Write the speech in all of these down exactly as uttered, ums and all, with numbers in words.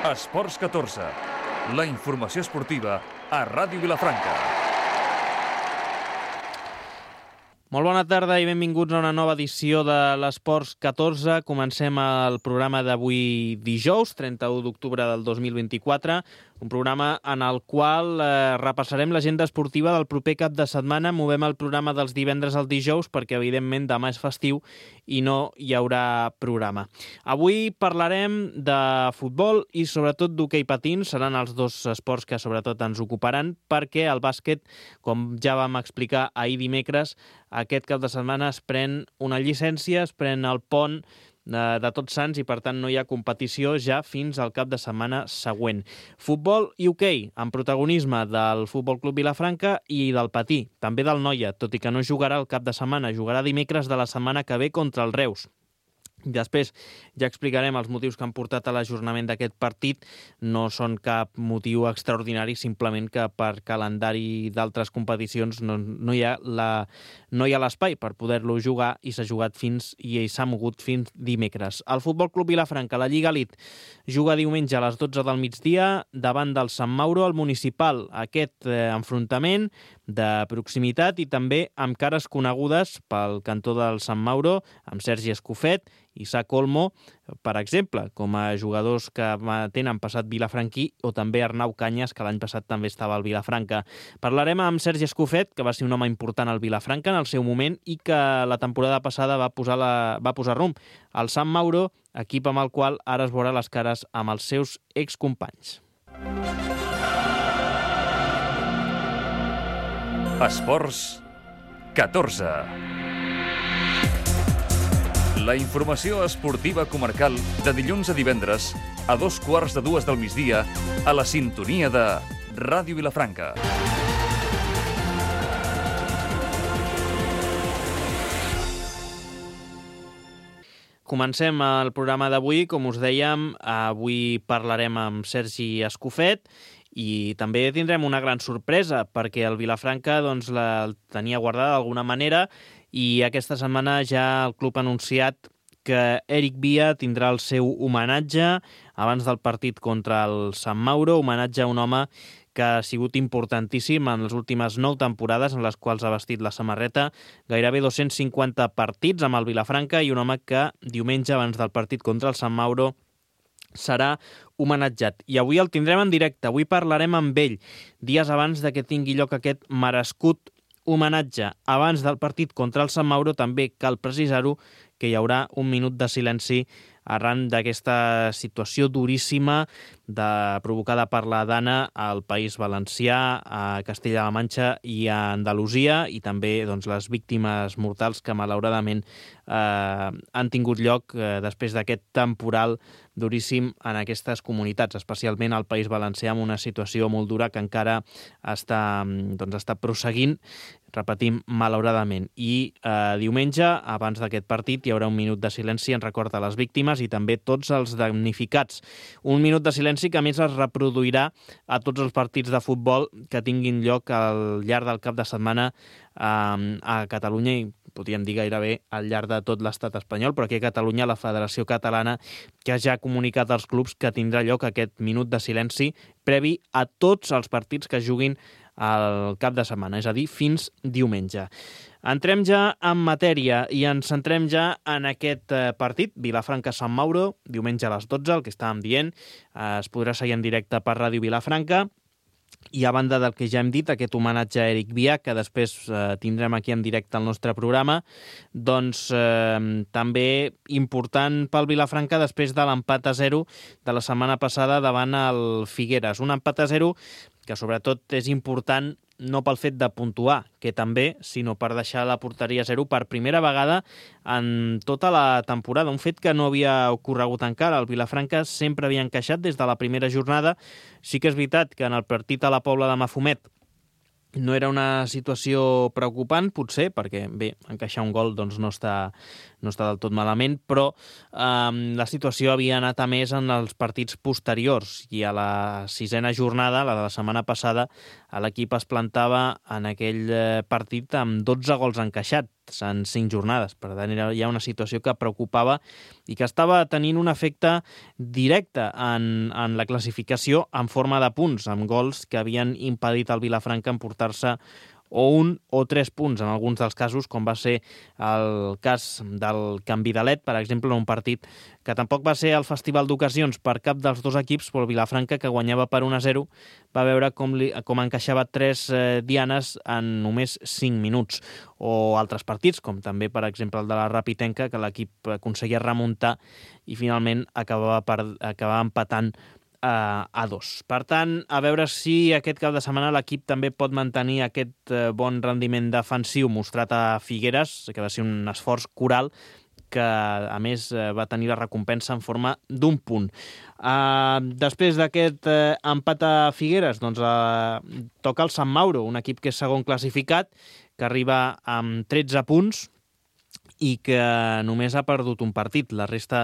Esports catorze, la informació esportiva a Ràdio Vilafranca. Molt bona tarda i benvinguts a una nova edició de l'Esports catorze. Comencem el programa d'avui dijous, trenta-u d'octubre del dos mil vint-i-quatre, un programa en el qual eh, repassarem l'agenda esportiva del proper cap de setmana. Movem el programa dels divendres al dijous perquè, evidentment, demà és festiu i no hi haurà programa. Avui parlarem de futbol i, sobretot, d'hoquei patins. Seran els dos esports que, sobretot, ens ocuparan perquè el bàsquet, com ja vam explicar ahir dimecres, aquest cap de setmana es pren una llicència, es pren el pont de, de Tots Sants i, per tant, no hi ha competició ja fins al cap de setmana següent. Futbol i hoquei, amb protagonisme del Futbol Club Vilafranca i del patí, també del Noia, tot i que no jugarà el cap de setmana, jugarà dimecres de la setmana que ve contra el Reus. Després ja explicarem els motius que han portat a l'ajornament d'aquest partit. No són cap motiu extraordinari, simplement que per calendari d'altres competicions no, no hi ha la, no hi ha l'espai per poder-lo jugar i s'ha jugat fins i s'ha mogut fins dimecres. El Futbol Club Vilafranca, la Lliga Elite, juga diumenge a les dotze del migdia davant del Sant Mauro, al Municipal. Aquest eh, enfrontament de proximitat i també amb cares conegudes pel cantó del Sant Mauro, amb Sergi Escofet i Isaac Olmo, per exemple, com a jugadors que tenen passat vilafranquí, o també Arnau Canyes, que l'any passat també estava al Vilafranca. Parlarem amb Sergi Escofet, que va ser un home important al Vilafranca en el seu moment i que la temporada passada va posar, la, va posar rumb al Sant Mauro, equip amb el qual ara es veurà les cares amb els seus excompanys. Esports catorze. La informació esportiva comarcal de dilluns a divendres a dos quarts de dues del migdia a la sintonia de Ràdio Vilafranca. Comencem el programa d'avui. Com us dèiem, avui parlarem amb Sergi Escofet i també tindrem una gran sorpresa perquè el Vilafranca doncs, la tenia guardada d'alguna manera i aquesta setmana ja el club ha anunciat que Eric Via tindrà el seu homenatge abans del partit contra el Sant Mauro, homenatge a un home que ha sigut importantíssim en les últimes nou temporades en les quals ha vestit la samarreta, gairebé dos-cents cinquanta partits amb el Vilafranca i un home que diumenge abans del partit contra el Sant Mauro serà homenatjat. I avui el tindrem en directe, avui parlarem amb ell, dies abans de que tingui lloc aquest merescut homenatge. Abans del partit contra el Sant Mauro també cal precisar-ho que hi haurà un minut de silenci arran d'aquesta situació duríssima de, provocada per la Dana al País Valencià, a Castella-La Manxa i a Andalusia, i també doncs, les víctimes mortals que malauradament eh, han tingut lloc eh, després d'aquest temporal duríssim en aquestes comunitats, especialment al País Valencià, amb una situació molt dura que encara està, doncs, està prosseguint, repetim, malauradament. I eh, diumenge, abans d'aquest partit, hi haurà un minut de silenci en record a les víctimes i també tots els damnificats. Un minut de silenci que a més es reproduirà a tots els partits de futbol que tinguin lloc al llarg del cap de setmana eh, a Catalunya i podríem dir gairebé al llarg de tot l'estat espanyol, però aquí a Catalunya la Federació Catalana que ja ha comunicat als clubs que tindrà lloc aquest minut de silenci previ a tots els partits que juguin al cap de setmana, és a dir, fins diumenge. Entrem ja en matèria i ens centrem ja en aquest partit, Vilafranca-Sant Mauro, diumenge a les dotze, el que estàvem dient, es podrà seguir en directe per Ràdio Vilafranca. I a banda del que ja hem dit, aquest homenatge a Eric Via, que després eh, tindrem aquí en directe al nostre programa, doncs eh, també important pel Vilafranca després de l'empat a zero de la setmana passada davant el Figueres. Un empat a zero que sobretot és important no pel fet de puntuar, que també, sinó per deixar la porteria a zero per primera vegada en tota la temporada. Un fet que no havia ocorregut encara. El Vilafranca sempre havia encaixat des de la primera jornada. Sí que és veritat que en el partit a la Pobla de Mafumet no era una situació preocupant, potser, perquè, bé, encaixar un gol doncs, no, està, no està del tot malament, però eh, la situació havia anat a més en els partits posteriors i a la sisena jornada, la de la setmana passada, l'equip es plantava en aquell partit amb dotze gols encaixats. partits en cinc jornades. Per tant, era ja una situació que preocupava i que estava tenint un efecte directe en, en la classificació en forma de punts, amb gols que havien impedit al Vilafranca emportar-se o un o tres punts en alguns dels casos, com va ser el cas del canvi de led, per exemple, en un partit que tampoc va ser el festival d'ocasions per cap dels dos equips, però el Vilafranca, que guanyava per un a zero, va veure com, li, com encaixava tres eh, dianes en només cinc minuts. O altres partits, com també, per exemple, el de la Rapitenca, que l'equip aconseguia remuntar i finalment acabava, per, acabava empatant a dos. Per tant, a veure si aquest cap de setmana l'equip també pot mantenir aquest bon rendiment defensiu mostrat a Figueres, que va ser un esforç coral que, a més, va tenir la recompensa en forma d'un punt. Uh, després d'aquest uh, empat a Figueres, doncs uh, toca el Sant Mauro, un equip que és segon classificat, que arriba amb tretze punts, i que només ha perdut un partit. La resta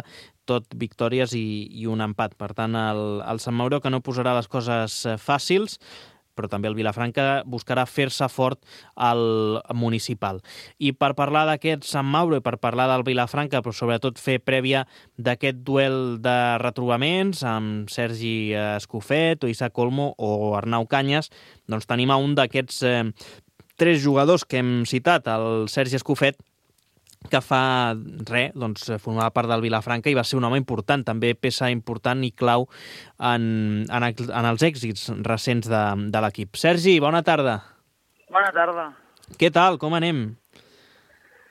tot victòries i, i un empat. Per tant, el, el Sant Mauro, que no posarà les coses fàcils, però també el Vilafranca buscarà fer-se fort al municipal. I per parlar d'aquest Sant Mauro i per parlar del Vilafranca, però sobretot fer prèvia d'aquest duel de retrobaments amb Sergi Escofet o Isaac Olmo o Arnau Canyes, doncs tenim a un d'aquests eh, tres jugadors que hem citat, el Sergi Escofet, que fa res, doncs, formava part del Vilafranca i va ser un home important, també peça important i clau en, en, en els èxits recents de, de l'equip. Sergi, bona tarda. Bona tarda. Què tal? Com anem?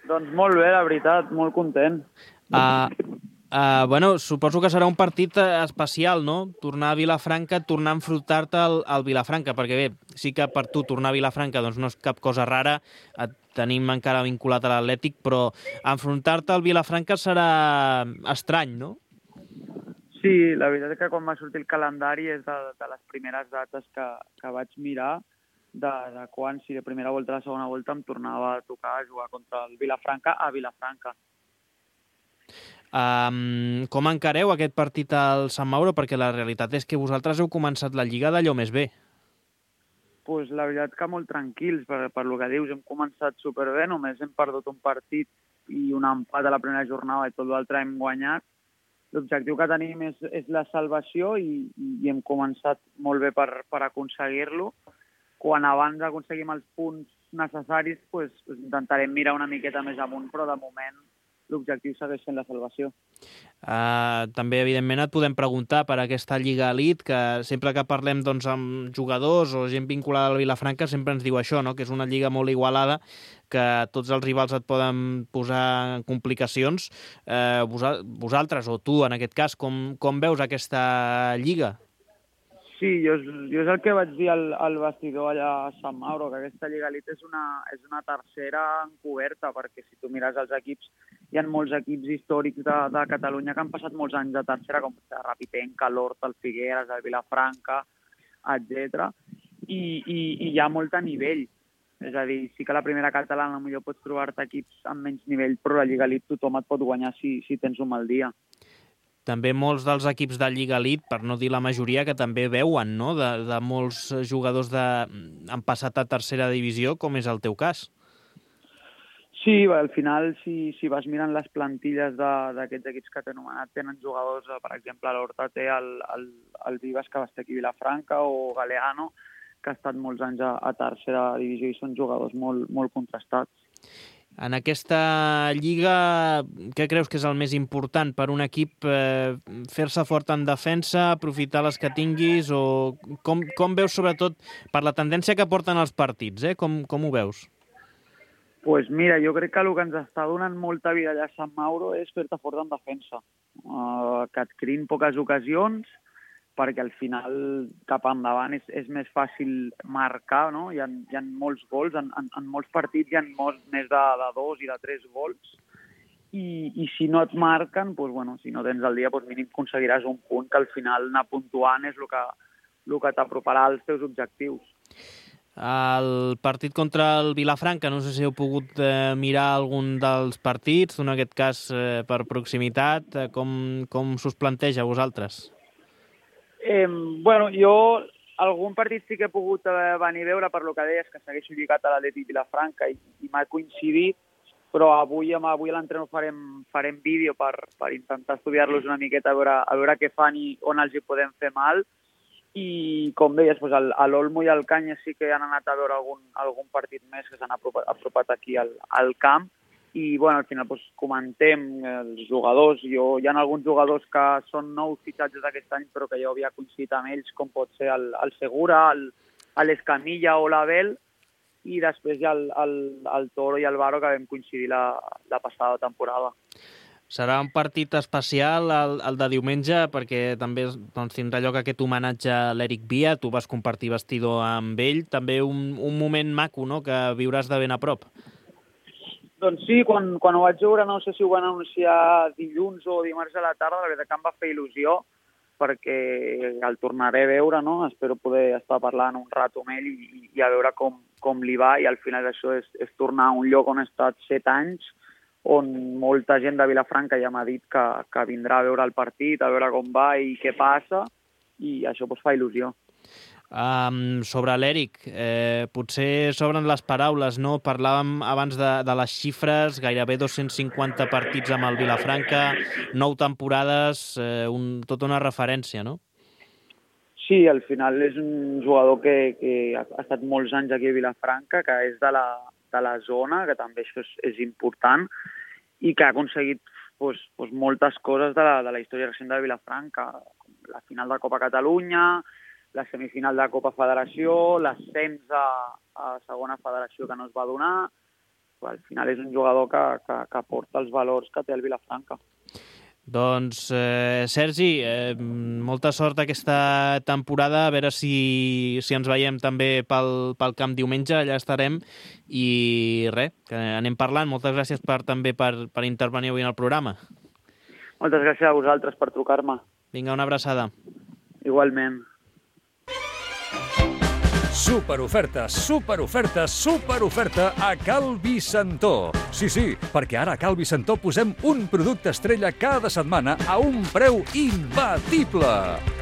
Doncs molt bé, la veritat, molt content. Uh, uh, bueno, suposo que serà un partit especial, no? Tornar a Vilafranca, tornar a enfrontar-te al, al Vilafranca, perquè bé, sí que per tu tornar a Vilafranca doncs no és cap cosa rara, et tenim encara vinculat a l'Atlètic, però enfrontar-te al Vilafranca serà estrany, no? Sí, la veritat és que quan va sortir el calendari és de, de les primeres dates que, que vaig mirar de, de quan, si de primera volta a la segona volta em tornava a tocar a jugar contra el Vilafranca a Vilafranca. Um, com encareu aquest partit al Sant Mauro? Perquè la realitat és que vosaltres heu començat la Lliga d'allò més bé. Pues la veritat que molt tranquils, per, per lo que dius, hem començat superbé, només hem perdut un partit i un empat a la primera jornada i tot l'altre hem guanyat. L'objectiu que tenim és, és la salvació i, i hem començat molt bé per, per aconseguir-lo. Quan abans aconseguim els punts necessaris, pues, pues intentarem mirar una miqueta més amunt, però de moment l'objectiu segueix sent la salvació. Uh, també, evidentment, et podem preguntar per aquesta Lliga Elite, que sempre que parlem doncs, amb jugadors o gent vinculada al Vilafranca sempre ens diu això, no? Que és una lliga molt igualada, que tots els rivals et poden posar en complicacions. Uh, vosaltres, o tu en aquest cas, com, com veus aquesta lliga? Sí, jo, jo és el que vaig dir al, al vestidor allà a Sant Mauro, que aquesta Lliga Elite és una, és una tercera encoberta, perquè si tu mires els equips, hi ha molts equips històrics de, de Catalunya que han passat molts anys de tercera, com el Rapitenca, l'Horta, el Figueres, el Vilafranca, etcètera. I, i, I hi ha molt a nivell. És a dir, sí que a la primera catalana potser pots trobar-te equips amb menys nivell, però la Lliga Elite tothom et pot guanyar si, si tens un mal dia. També molts dels equips de Lliga Elite, per no dir la majoria, que també veuen, no?, de, de molts jugadors de... han passat a tercera divisió, com és el teu cas. Sí, al final, si, si vas mirant les plantilles d'aquests equips que t'he anomenat, tenen jugadors, per exemple, l'Horta té el, el, el Vives, que va estar aquí a Vilafranca, o Galeano, que ha estat molts anys a, a tercera divisió i són jugadors molt, molt contrastats. En aquesta lliga, què creus que és el més important per un equip? Eh, fer-se fort en defensa, aprofitar les que tinguis, o com, com veus sobretot per la tendència que porten els partits, eh? Com, com ho veus? Pues mira, jo crec que el que ens està donant molta vida allà a Sant Mauro és fer-te fort en defensa. Uh, que et creïn poques ocasions, perquè al final cap endavant és, és més fàcil marcar, no? Hi ha, hi ha molts gols, en, en, en molts partits hi ha molts, més de, de dos i de tres gols, i, i si no et marquen, doncs, bueno, si no tens el dia, doncs mínim aconseguiràs un punt que al final anar puntuant és el que, el que t'aproparà als teus objectius. El partit contra el Vilafranca, no sé si heu pogut eh, mirar algun dels partits, en aquest cas eh, per proximitat, eh, com, com s'us planteja a vosaltres? Eh, bueno, jo algun partit sí que he pogut eh, venir a veure per lo que deies, que segueixo lligat a l'Atlètic Vilafranca i, i m'ha coincidit, però avui, avui a l'entreno farem, farem vídeo per, per intentar estudiar-los una miqueta, a veure, a veure què fan i on els hi podem fer mal. I, com deies, doncs el, a l'Olmo i al Canyes sí que han anat a veure algun, algun partit més que s'han apropat, apropat aquí al, al camp. I, bueno, al final doncs, comentem els jugadors. Jo, hi ha alguns jugadors que són nous fitxatges d'aquest any, però que jo havia coincidit amb ells, com pot ser el, el Segura, l'Escamilla o l'Abel, i després hi ha el, el, el Toro i el Baro, que vam coincidir la, la passada temporada. Serà un partit especial el, el de diumenge, perquè també doncs, tindrà lloc aquest homenatge a l'Eric Via. Tu vas compartir vestidor amb ell. També un, un moment maco, no?, que viuràs de ben a prop. Doncs sí, quan, quan ho vaig veure, no sé si ho van anunciar dilluns o dimarts a la tarda, la veritat que em va fer il·lusió, perquè el tornaré a veure, no? Espero poder estar parlant un rato amb ell i, i a veure com, com li va, i al final això és, és tornar a un lloc on he estat set anys, on molta gent de Vilafranca ja m'ha dit que, que vindrà a veure el partit, a veure com va i què passa, i això pues, fa il·lusió. Um, sobre l'Eric, eh, potser s'obren les paraules, no? Parlàvem abans de, de les xifres, gairebé dos-cents cinquanta partits amb el Vilafranca, nou temporades, eh, un, tota una referència, no? Sí, al final és un jugador que, que ha estat molts anys aquí a Vilafranca, que és de la, de la zona, que també això és, és important, i que ha aconseguit pues, pues, moltes coses de la, de la història recent de Vilafranca, la final de Copa Catalunya, la semifinal de Copa Federació, l'ascens a, a segona federació que no es va donar. Al final és un jugador que, que, que porta els valors que té el Vilafranca. Doncs, eh, Sergi, eh, molta sort aquesta temporada, a veure si, si ens veiem també pel, pel camp diumenge, allà estarem, i res, que anem parlant. Moltes gràcies per, també per, per intervenir avui en el programa. Moltes gràcies a vosaltres per trucar-me. Vinga, una abraçada. Igualment. Superoferta, superoferta, superoferta a Cal Vicentó. Sí, sí, perquè ara a Cal Vicentó posem un producte estrella cada setmana a un preu imbatible.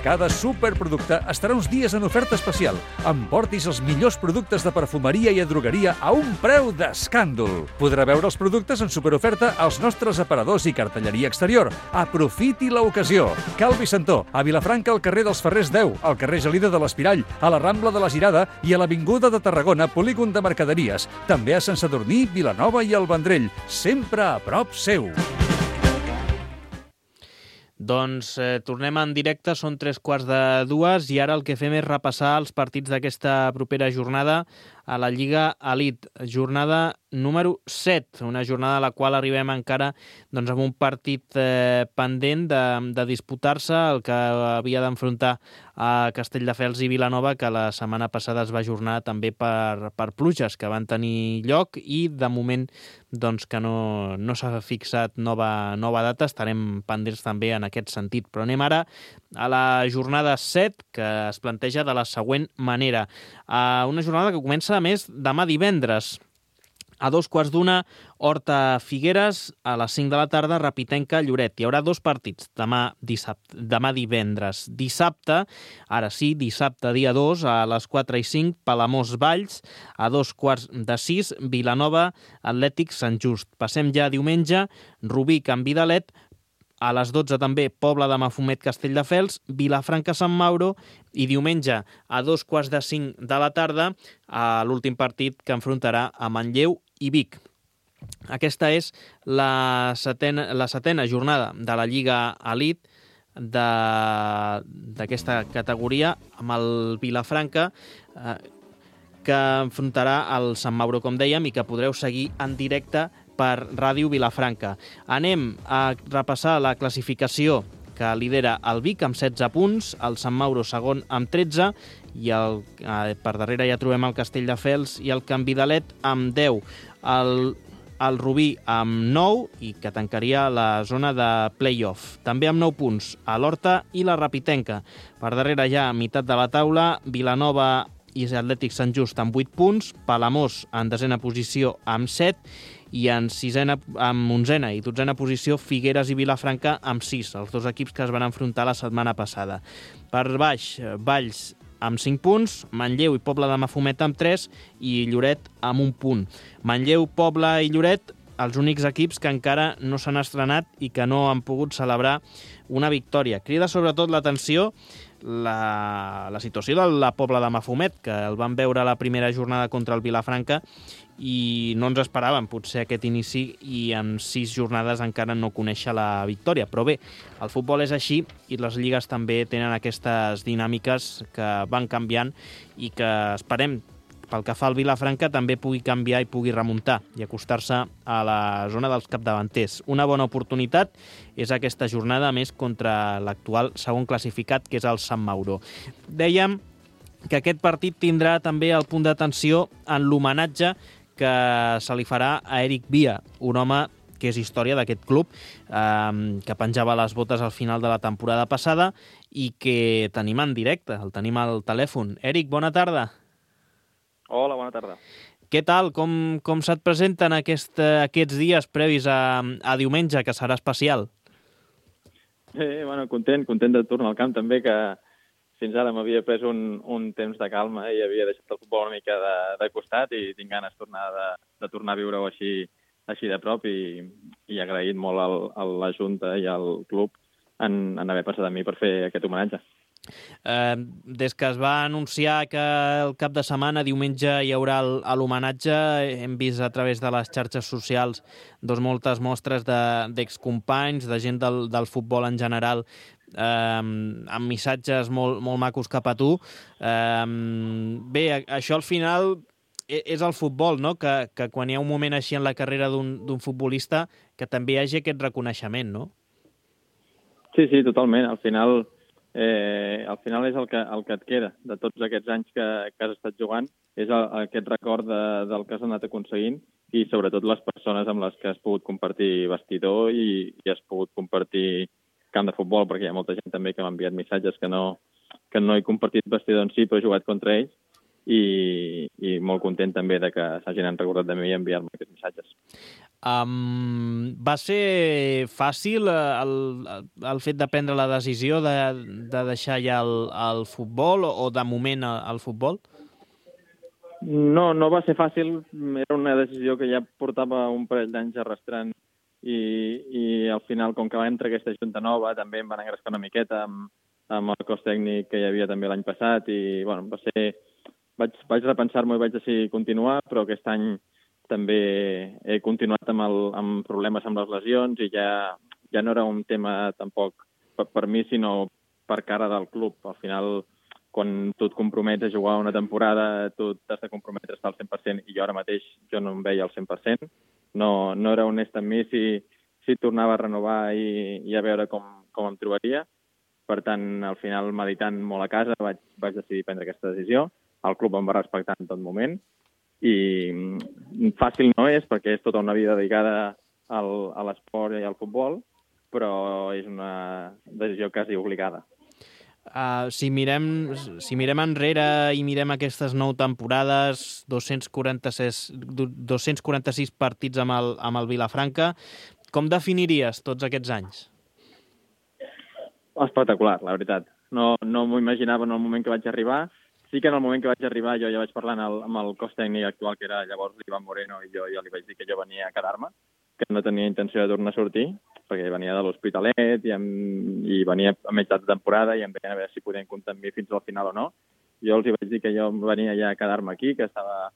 Cada superproducte estarà uns dies en oferta especial. Emportis els millors productes de perfumeria i drogueria a un preu d'escàndol. Podrà veure els productes en superoferta als nostres aparadors i cartelleria exterior. Aprofiti l'ocasió. Cal Vicentó, a Vilafranca, al carrer dels Ferrers deu, al carrer Gelida de l'Espirall, a la Rambla de la Girada i a l'Avinguda de Tarragona, polígon de mercaderies. També a Sant Sadurní, Vilanova i el Vendrell, sempre a prop seu. Doncs eh, tornem en directe, són tres quarts de dues i ara el que fem és repassar els partits d'aquesta propera jornada a la Lliga Elite, jornada número set, una jornada a la qual arribem encara doncs, amb un partit eh, pendent de, de disputar-se, el que havia d'enfrontar a Castelldefels i Vilanova, que la setmana passada es va ajornar també per, per pluges que van tenir lloc, i de moment doncs, que no, no s'ha fixat nova, nova data, estarem pendents també en aquest sentit. Però anem ara a la jornada set, que es planteja de la següent manera. Uh, una jornada que comença a més demà divendres. A dos quarts d'una, Horta Figueres, a les cinc de la tarda, Rapitenca Lloret. Hi haurà dos partits demà, dissabte, demà divendres. Dissabte, ara sí, dissabte dia dos, a les quatre i cinc, Palamós Valls, a dos quarts de sis, Vilanova Atlètic Sant Just. Passem ja a diumenge, Rubí Can Vidalet, a les dotze també Pobla de Mafumet Castelldefels, Vilafranca Sant Mauro, i diumenge a dos quarts de cinc de la tarda a l'últim partit que enfrontarà a Manlleu i Vic. Aquesta és la setena, la setena jornada de la Lliga Elite d'aquesta categoria, amb el Vilafranca, eh, que enfrontarà el Sant Mauro, com dèiem, i que podreu seguir en directe per Ràdio Vilafranca. Anem a repassar la classificació, que lidera el Vic amb setze punts, el Sant Mauro segon amb tretze, i el, eh, per darrere ja trobem el Castelldefels i el Can Vidalet amb deu. El, el Rubí amb nou, i que tancaria la zona de play-off. També amb nou punts a l'Horta i la Rapitenca. Per darrere ja, a meitat de la taula, Vilanova i Atlètic Sant Just amb vuit punts, Palamós en desena posició amb set, i en sisena, amb onzena i dotzena posició Figueres i Vilafranca amb sis, els dos equips que es van enfrontar la setmana passada. Per baix, Valls amb cinc punts, Manlleu i Pobla de Mafumet amb tres i Lloret amb un punt. Manlleu, Pobla i Lloret els únics equips que encara no s'han estrenat i que no han pogut celebrar una victòria. Crida sobretot l'atenció la, la situació de la Pobla de Mafumet, que el van veure a la primera jornada contra el Vilafranca i no ens esperàvem potser aquest inici i en sis jornades encara no conèixer la victòria. Però bé, el futbol és així i les lligues també tenen aquestes dinàmiques que van canviant i que esperem, pel que fa al Vilafranca, també pugui canviar i pugui remuntar i acostar-se a la zona dels capdavanters. Una bona oportunitat és aquesta jornada més contra l'actual segon classificat, que és el Sant Mauro. Dèiem que aquest partit tindrà també el punt d'atenció en l'homenatge que se li farà a Eric Via, un home que és història d'aquest club, eh, que penjava les botes al final de la temporada passada i que tenim en directe, el tenim al telèfon. Eric, bona tarda. Hola, bona tarda. Què tal? Com, com se't presenten aquest, aquests dies previs a, a diumenge, que serà especial? Eh, bueno, content, content de tornar al camp també, que fins ara m'havia pres un, un temps de calma i havia deixat el futbol una mica de, de costat i tinc ganes tornar de, de tornar a viure-ho així, així de prop i, i agraït molt al, a la Junta i al club en, en haver passat a mi per fer aquest homenatge. Eh, des que es va anunciar que el cap de setmana, diumenge, hi haurà l'homenatge, hem vist a través de les xarxes socials doncs, moltes mostres d'excompanys, de, de gent del, del futbol en general, eh, amb missatges molt, molt macos cap a tu. Eh, bé, això al final és el futbol, no? Que, que quan hi ha un moment així en la carrera d'un futbolista que també hi hagi aquest reconeixement, no? Sí, sí, totalment. Al final... Eh, al final és el que, el que et queda de tots aquests anys que, que has estat jugant, és el, aquest record de, del que has anat aconseguint i sobretot les persones amb les que has pogut compartir vestidor i, i has pogut compartir camp de futbol, perquè hi ha molta gent també que m'ha enviat missatges que no, que no he compartit vestidor en si, però he jugat contra ells i, i molt content també de que s'hagin recordat de mi i enviar-me aquests missatges. Um, va ser fàcil el, el fet de prendre la decisió de, de deixar ja el, el futbol o, o de moment el, el futbol? No, no va ser fàcil. Era una decisió que ja portava un parell d'anys arrastrant i, i al final, com que va entrar aquesta junta nova, també em van engrescar una miqueta amb, amb el cos tècnic que hi havia també l'any passat i bueno, va ser... Vaig, vaig repensar-m'ho i vaig decidir continuar, però aquest any també he continuat amb, el, amb problemes amb les lesions i ja, ja no era un tema tampoc per, per mi, sinó per cara del club. Al final, quan tu et compromets a jugar una temporada, tu t'has de comprometre a estar al cent per cent i jo ara mateix jo no em veia al cent per cent. No, no era honest amb mi si, si tornava a renovar i, i a veure com, com em trobaria. Per tant, al final, meditant molt a casa, vaig, vaig decidir prendre aquesta decisió. El club em va respectar en tot moment i fàcil no és perquè és tota una vida dedicada al, a l'esport i al futbol, però és una decisió quasi obligada. Uh, si, mirem, si mirem enrere i mirem aquestes nou temporades, dos-cents quaranta-sis, dos-cents quaranta-sis partits amb el, amb el Vilafranca, com definiries tots aquests anys? Espectacular, la veritat. No, no m'ho imaginava en el moment que vaig arribar. Sí que en el moment que vaig arribar jo ja vaig parlar amb el, amb el cos tècnic actual, que era llavors l'Ivan Moreno, i jo ja li vaig dir que jo venia a quedar-me, que no tenia intenció de tornar a sortir, perquè venia de l'Hospitalet i, amb, i venia a meitat de temporada i em veien a veure si podien comptar amb mi fins al final o no. Jo els vaig dir que jo venia ja a quedar-me aquí, que estava...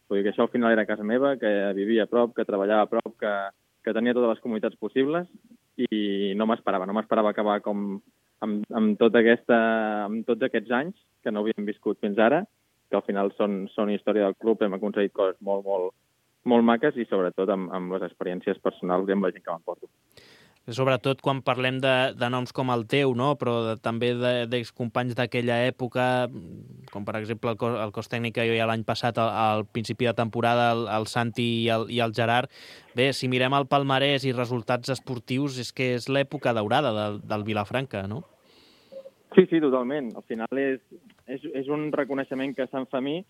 Vull dir que això al final era casa meva, que vivia a prop, que treballava a prop, que, que tenia totes les comunitats possibles i no m'esperava, no m'esperava acabar com... Amb, amb, tota aquesta, amb tots aquests anys que no havíem viscut fins ara, que al final són, són història del club, hem aconseguit coses molt, molt, molt maques i sobretot amb, amb les experiències personals i amb la gent que m'emporto. Sobretot quan parlem de, de noms com el teu, no? Però de, també d'excompanys d'aquella època, com per exemple el cos, el cos tècnic que jo ja l'any passat, al, al principi de temporada, el, el Santi i el, i el Gerard. Bé, si mirem el palmarès i resultats esportius, és que és l'època daurada del, del Vilafranca, no? Sí, sí, totalment. Al final és, és, és un reconeixement que se'n fa a mi,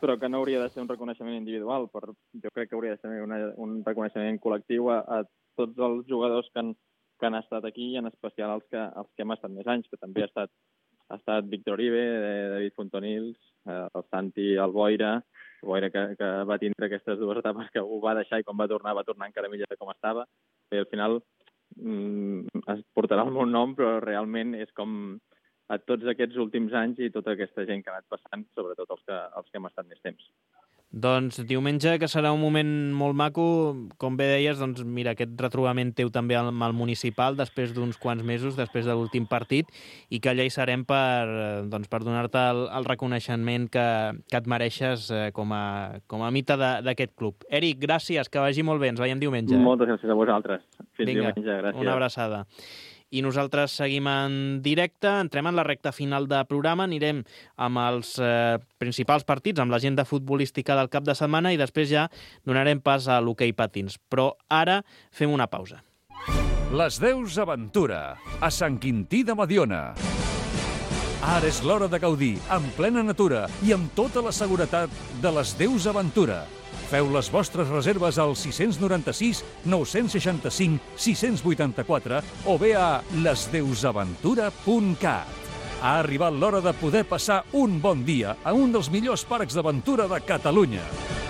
però que no hauria de ser un reconeixement individual. Per, jo crec que hauria de ser una, un reconeixement col·lectiu a, a tots els jugadors que han, que han estat aquí, i en especial els que, els que hem estat més anys, que també ha estat, ha estat Víctor Uribe, David Fontonils, eh, el Santi, el Boira, boira que, que va tindre aquestes dues etapes, que ho va deixar i quan va tornar, va tornar encara millor de com estava. I al final mm, es portarà el meu nom, però realment és com a tots aquests últims anys i tota aquesta gent que ha anat passant, sobretot els que, els que hem estat més temps. Doncs diumenge, que serà un moment molt maco, com bé deies, doncs mira, aquest retrobament teu també amb el municipal després d'uns quants mesos, després de l'últim partit, i que allà hi serem per, doncs, per donar-te el, el reconeixement que, que et mereixes eh, com, a, com a mite d'aquest club. Eric, gràcies, que vagi molt bé, ens veiem diumenge. Eh? Moltes gràcies a vosaltres. Fins Vinga, diumenge, gràcies. Una abraçada. I nosaltres seguim en directe, entrem en la recta final de programa, anirem amb els eh, principals partits, amb l'agenda futbolística del cap de setmana i després ja donarem pas a l'hoquei patins. Però ara fem una pausa. Les Deus Aventura, a Sant Quintí de Mediona. Ara és l'hora de gaudir, en plena natura i amb tota la seguretat de les Deus Aventura. Feu les vostres reserves al sis nou sis, nou sis cinc, sis vuit quatre o bé a les deus aventura punt cat. Ha arribat l'hora de poder passar un bon dia a un dels millors parcs d'aventura de Catalunya.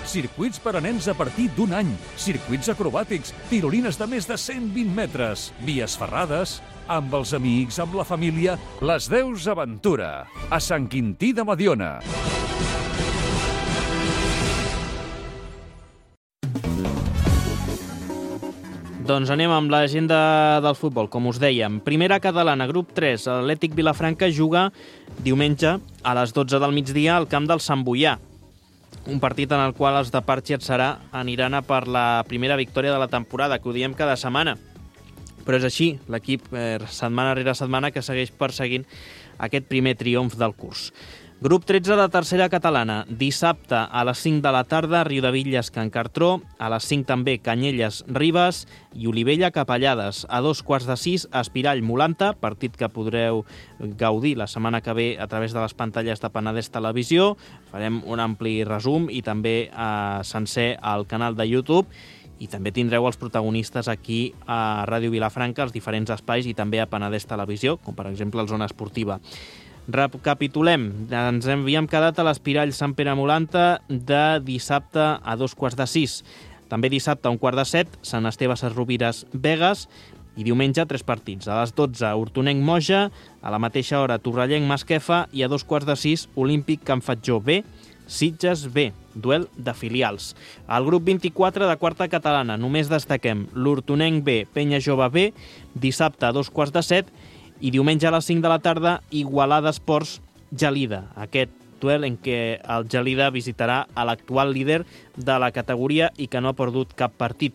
Circuits per a nens a partir d'un any, circuits acrobàtics, tirolines de més de cent vint metres, vies ferrades, amb els amics, amb la família, les Deus Aventura, a Sant Quintí de Mediona. Doncs anem amb l'agenda del futbol, com us dèiem. Primera catalana, grup tres, l'Atlètic Vilafranca juga diumenge a les dotze del migdia al camp del Sant Boià. Un partit en el qual els de Parc Serà aniran a per la primera victòria de la temporada, que ho diem cada setmana. Però és així, l'equip eh, setmana rere setmana que segueix perseguint aquest primer triomf del curs. Grup tretze de tercera catalana, dissabte a les cinc de la tarda, Riudebitlles Can Cartró, a les cinc també Canyelles Ribes i Olivella Capellades. A dos quarts de sis, Espirall Molanta, partit que podreu gaudir la setmana que ve a través de les pantalles de Penedès Televisió. Farem un ampli resum i també eh, sencer al canal de YouTube. I també tindreu els protagonistes aquí a Ràdio Vilafranca, als diferents espais i també a Penedès Televisió, com per exemple el Zona Esportiva. Recapitulem, ens havíem quedat a l'Espirall Sant Pere Molanta de dissabte a dos quarts de sis. També dissabte a un quart de set, Sant Esteve Sesrovires Begues i diumenge tres partits. A les dotze, Hortonenc Moja, a la mateixa hora Torrellenc Masquefa i a dos quarts de sis, Olímpic Can Fatjó B, Sitges B, duel de filials. Al grup vint-i-quatre de quarta catalana només destaquem l'Hortonenc B, Penya Jove B, dissabte a dos quarts de set i diumenge a les cinc de la tarda, Igualada Esports Gelida. Aquest duel en què el Gelida visitarà a l'actual líder de la categoria i que no ha perdut cap partit.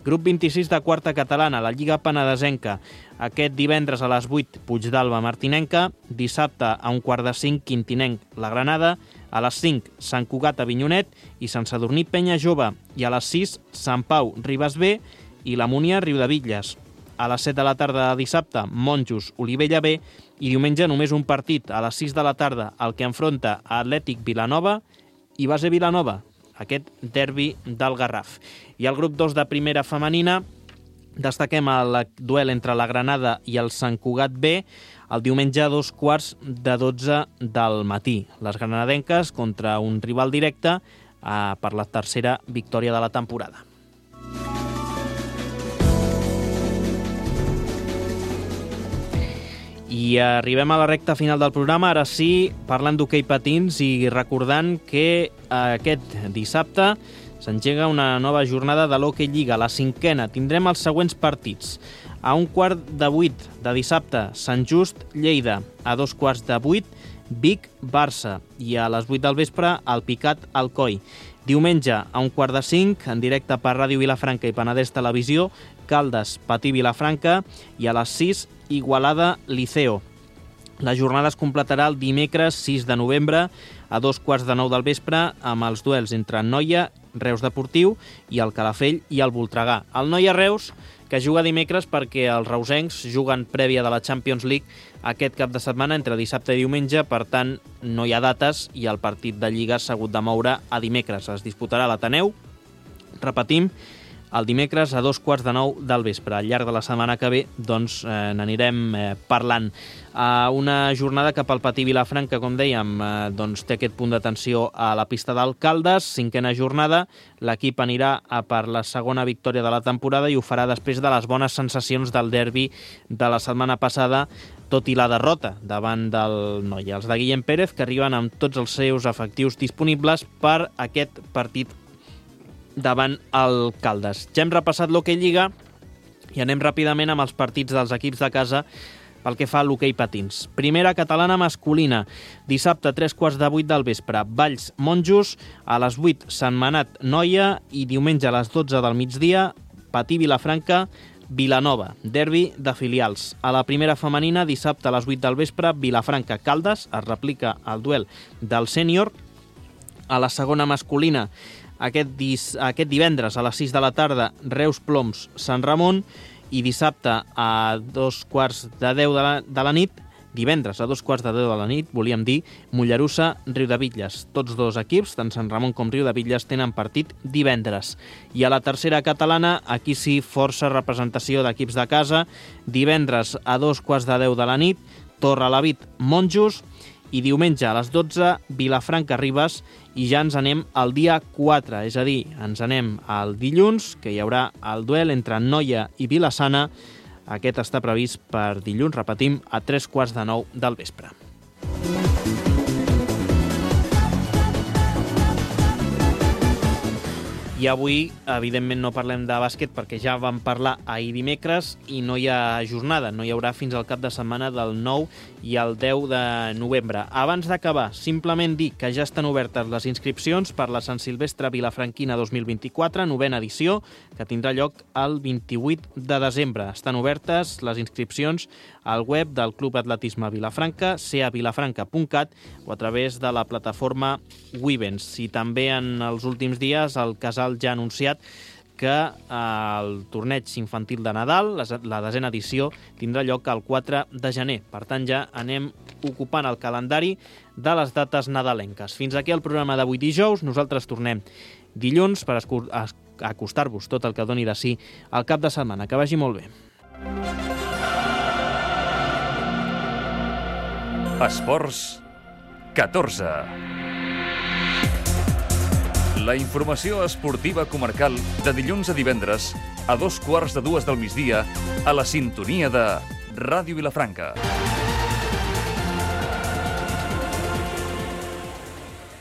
Grup vint-i-sis de quarta catalana, la Lliga Penedesenca. Aquest divendres a les vuit, Puigdàlber Martinenca. Dissabte a un quart de cinc, Quintinenc La Granada. A les cinc, Sant Cugat Avinyonet i Sant Sadurní Penya Jove. I a les sis, Sant Pau Ribes B i la Múnia Riudebitlles. A les set de la tarda de dissabte, Monjos Olivella B i diumenge només un partit a les sis de la tarda, el que enfronta a Atlètic Vilanova i Base Vilanova, aquest derbi del Garraf. I al grup dos de primera femenina destaquem el duel entre la Granada i el Sant Cugat B el diumenge a dos quarts de dotze del matí. Les granadenques contra un rival directe eh, per la tercera victòria de la temporada. I arribem a la recta final del programa, ara sí, parlant d'hoquei patins i recordant que aquest dissabte s'engega una nova jornada de l'Hockey Lliga, la cinquena. Tindrem els següents partits. A un quart de vuit de dissabte, Sant Just, Lleida. A dos quarts de vuit, Vic, Barça. I a les vuit del vespre, el Picat, Alcoi. Diumenge, a un quart de cinc, en directe per Ràdio Vilafranca i Penedès Televisió, Caldes, Patí Vilafranca, i a les sis, Igualada, Liceo. La jornada es completarà el dimecres sis de novembre a dos quarts de nou del vespre amb els duels entre Noia, Reus Deportiu i el Calafell i el Voltregà. El Noia-Reus, que juga dimecres perquè els reusencs juguen prèvia de la Champions League aquest cap de setmana entre dissabte i diumenge, per tant no hi ha dates i el partit de Lliga s'ha hagut de moure a dimecres. Es disputarà a l'Ateneu, repetim, el dimecres a dos quarts de nou del vespre. Al llarg de la setmana que ve doncs, eh, n'anirem eh, parlant. Uh, una jornada que pel Patí Vilafranca, com dèiem, uh, doncs té aquest punt d'atenció a la pista d'Alcaldes, cinquena jornada. L'equip anirà a per la segona victòria de la temporada i ho farà després de les bones sensacions del derbi de la setmana passada, tot i la derrota davant del Noia. Els de Guillem Pérez, que arriben amb tots els seus efectius disponibles per aquest partit davant el Caldes. Ja hem repassat l'Hockey Lliga i anem ràpidament amb els partits dels equips de casa pel que fa a l'hoquei patins. Primera catalana masculina, dissabte a tres quarts de vuit del vespre, Valls Monjos, a les vuit Sentmenat Noia i diumenge a les dotze del migdia, Patí Vilafranca Vilanova, derbi de filials. A la primera femenina, dissabte a les vuit del vespre, Vilafranca Caldes, es replica el duel del sènior. A la segona masculina, Aquest, dis, aquest divendres a les sis de la tarda, Reus Ploms Sant Ramon, i dissabte a dos quarts de deu de la, de la nit, divendres a dos quarts de deu de la nit, volíem dir, Mollerussa Riudebitlles. Tots dos equips, tant Sant Ramon com Riudebitlles, tenen partit divendres. I a la tercera catalana, aquí sí, força representació d'equips de casa, divendres a dos quarts de deu de la nit, Torrelavit Monjos, i diumenge a les dotze, Vilafranca Ribes, i ja ens anem al dia quatre, és a dir, ens anem al dilluns, que hi haurà el duel entre Noia i Vilassana. Aquest està previst per dilluns, repetim, a tres quarts de nou del vespre. I avui, evidentment, no parlem de bàsquet perquè ja vam parlar ahir dimecres i no hi ha jornada, no hi haurà fins al cap de setmana del nou i el deu de novembre. Abans d'acabar, simplement dir que ja estan obertes les inscripcions per la Sant Silvestre Vilafranquina dos mil vint-i-quatre, novena edició, que tindrà lloc el vint-i-vuit de desembre. Estan obertes les inscripcions al web del Club Atletisme Vilafranca, c a vilafranca punt cat, o a través de la plataforma Wivens. I també en els últims dies el Casal ja ha anunciat que el torneig infantil de Nadal, la desena edició, tindrà lloc el quatre de gener. Per tant, ja anem ocupant el calendari de les dates nadalenques. Fins aquí el programa d'avui dijous. Nosaltres tornem dilluns per acostar-vos tot el que doni de si al cap de setmana. Que vagi molt bé. Esports catorze. La informació esportiva comarcal de dilluns a divendres a dos quarts de dues del migdia a la sintonia de Ràdio Vilafranca.